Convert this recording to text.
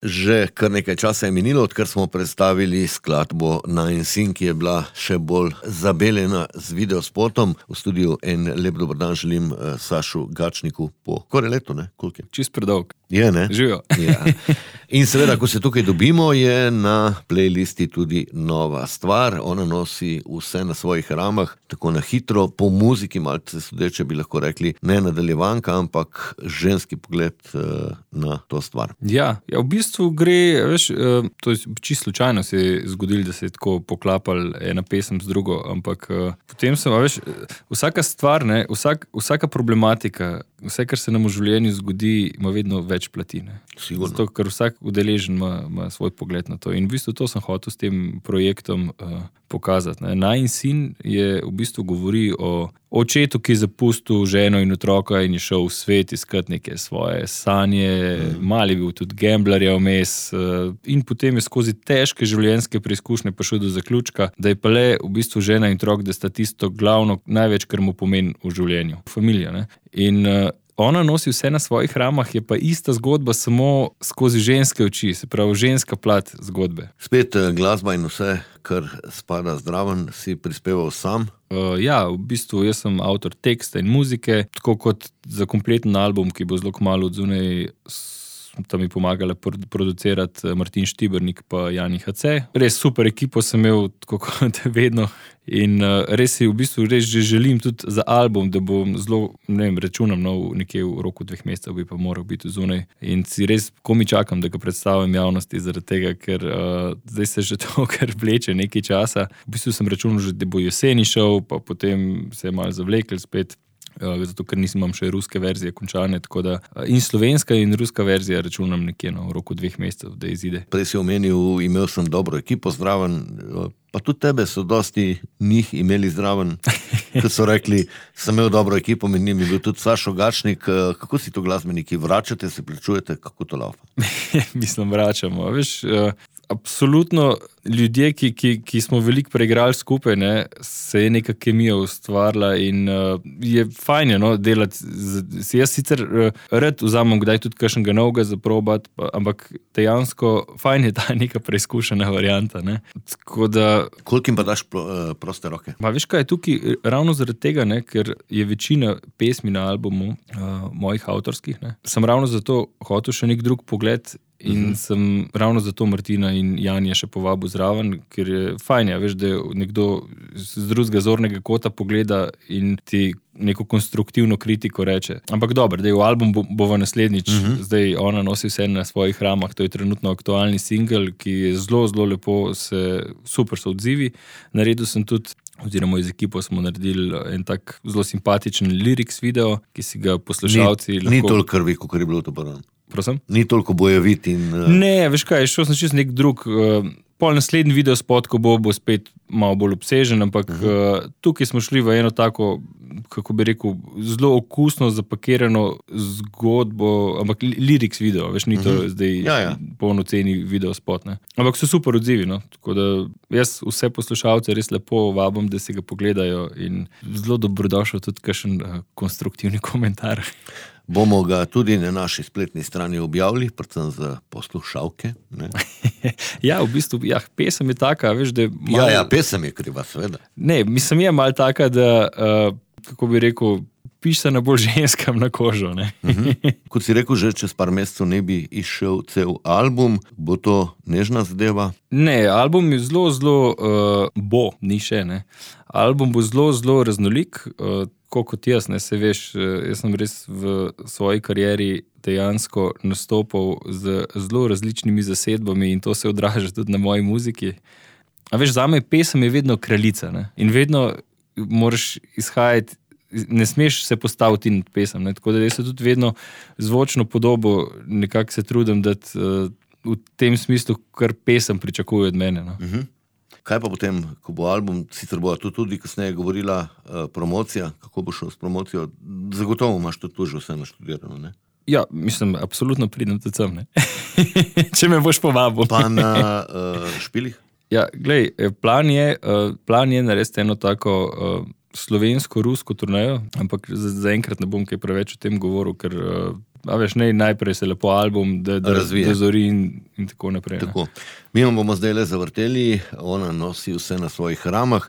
Že kar nekaj časa je minilo, odkar smo predstavili skladbo Nine Sin, ki je bila še bolj zabeljena z videospotom. V studiu en lep dober dan želim Sašu Gačniku po skoraj letu, ne? Koliko je? Čist predolg. Je, ne? Živijo. Ja. In seveda, ko se tukaj dobimo, je na playlisti tudi nova stvar. Ona nosi vse na svojih ramah, tako na hitro, po muziki, malce sodeče bi lahko rekli, ne nadaljevanka, ampak ženski pogled na to stvar. Ja, v bistvu gre, veš, to je čisto slučajno se je zgodilo, da se je tako poklapal ena pesem z drugo, ampak potem sem, veš, vsaka stvar, ne, vsaka problematika, vse, kar se nam v življenju zgodi, ima vedno več plati, ne. Sigurno. Zato, ker vsak udeležen ima svoj pogled na to. In v bistvu to sem hotel s tem projektom pokazati, ne. Nine Sin je v bistvu govori o očetu, ki je zapustil ženo in otroka in je šel v svet iskat neke svoje sanje, mali bil tudi gamblerja vmes in potem je skozi težke življenjske preizkušnje prišel do zaključka, da je pa le v bistvu žena in otrok, da sta tisto glavno, največ, kar mu pomeni v življenju. Familija, ne. In ona nosi vse na svojih ramah, je pa ista zgodba, samo skozi ženske oči, se pravi ženska plat zgodbe. Spet glasba in vse, kar spada zdraven, si prispeval sam. Ja, v bistvu jaz sem avtor teksta in muzike, tako kot za kompleten album, ki bo zelo kmalu odzunaj, tam mi pomagala producirati Martin Štibernik pa Jani HC. Res super ekipo sem imel, tako kot vedno. In res si v bistvu res že želim tudi za album, da bom zelo, ne vem, računam nekje v roku 2 mesecev bi pa moral biti zunaj. In si res komi čakam, da ga predstavim javnosti zaradi tega, ker zdaj se že to kar vleče nekaj časa. V bistvu sem računal že, da bo jeseni šel, pa potem se je malo zavlekel spet. Zato, ker imam še ruske verzije končane, tako da in slovenska in ruska verzija računam nekje v roku 2 mesecev, da izide. Prej si omenil, imel sem dobro ekipo zraven, pa tudi tebe so dosti njih imeli zraven, kot so rekli, sem imel dobro ekipo, med njimi bil tudi Sašo Gačnik. Kako si to glasbeniki, vračate, se plačujete, kako to laufa? Mislim, vračamo, veš, absolutno ljudje, ki smo veliko preigrali skupaj, ne, se je neka kemija ustvarila in je fajn, no, delati. Jaz sicer rad vzamem kdaj tudi kakšnega novega za probati, ampak dejansko fajn je ta neka preizkušena varianta, ne. Tako da... Koliko jim pa daš proste roke? Ma veš kaj, tukaj ravno zaradi tega, ne, ker je večina pesmi na albumu mojih avtorskih, ne, sem ravno zato hotel še nek drug pogled in sem ravno zato Martina in Janja še povabil zraven, ker je fajn, ja, veš, da nekdo z drugega zornega kota pogleda in ti neko konstruktivno kritiko reče. Ampak dobro, da je v album bova naslednjič, zdaj ona nosi vse na svojih ramah, to je trenutno aktualni singel, ki je zelo, zelo lepo, super so odzivi. Naredil sem tudi, oziroma iz ekipo smo naredili en tak zelo simpatičen lyrics video, ki si ga poslušalci lahko... Ni toliko krvi, kot je bilo to prvo. Prosim? Ni toliko bojevit in... Ne, veš kaj, šel sem čist nek drug, pol naslednji videospot, ko bo spet malo bolj obsežen, ampak tukaj smo šli v eno tako, kako bi rekel, zelo okusno zapakirano zgodbo, ampak lyrics video, veš, ni to zdaj polnoceni videospot, ne. Ampak so super odzivi, no, tako da jaz vse poslušalce res lepo vabim, da si ga pogledajo in zelo dobrodošel tudi kakšen konstruktivni komentar. Bomo ga tudi na naši spletni strani objavili, predvsem za poslušalke, ne? Ja, v bistvu, ja, pesem je taka, veš, da... Malo... Ja, pesem je kriva, seveda. Ne, mislim, je malo taka, da, kako bi rekel, piše na bolj ženskam na kožo, ne. Kot si rekel, že čez par mesecev ne bi izšel cel album, bo to nežna zadeva? Ne, album je zelo, ni še, ne. Album bo zelo raznolik, kot jaz, ne, se veš, jaz sem res v svoji karieri dejansko nastopal z zelo različnimi zasedbami in to se odraža tudi na moji muziki. A veš, zame pesem je vedno kraljica, ne, in vedno moraš izhajati, ne smeš se postaviti nad pesem, ne, tako da jaz se tudi vedno zvočno podobo nekako se trudim dati v tem smislu, kar pesem pričakuje od mene, no. Kaj pa potem, ko bo album, sicer bo tudi kasneje govorila promocija, kako bo šel s promocijo, zagotovo imaš tudi že vse naštudirano, ne? Ja, mislim, absolutno pridem tudi sem, ne. Če me boš povabil. Pa na špilih? Ja, glej, plan je narediti eno tako slovensko-rusko turnejo, ampak zaenkrat ne bom kaj preveč o tem govoril, ker najprej se lepo album, da zori in tako naprej. Tako. Mi bomo zdaj le zavrteli, ona nosi vse na svojih ramah.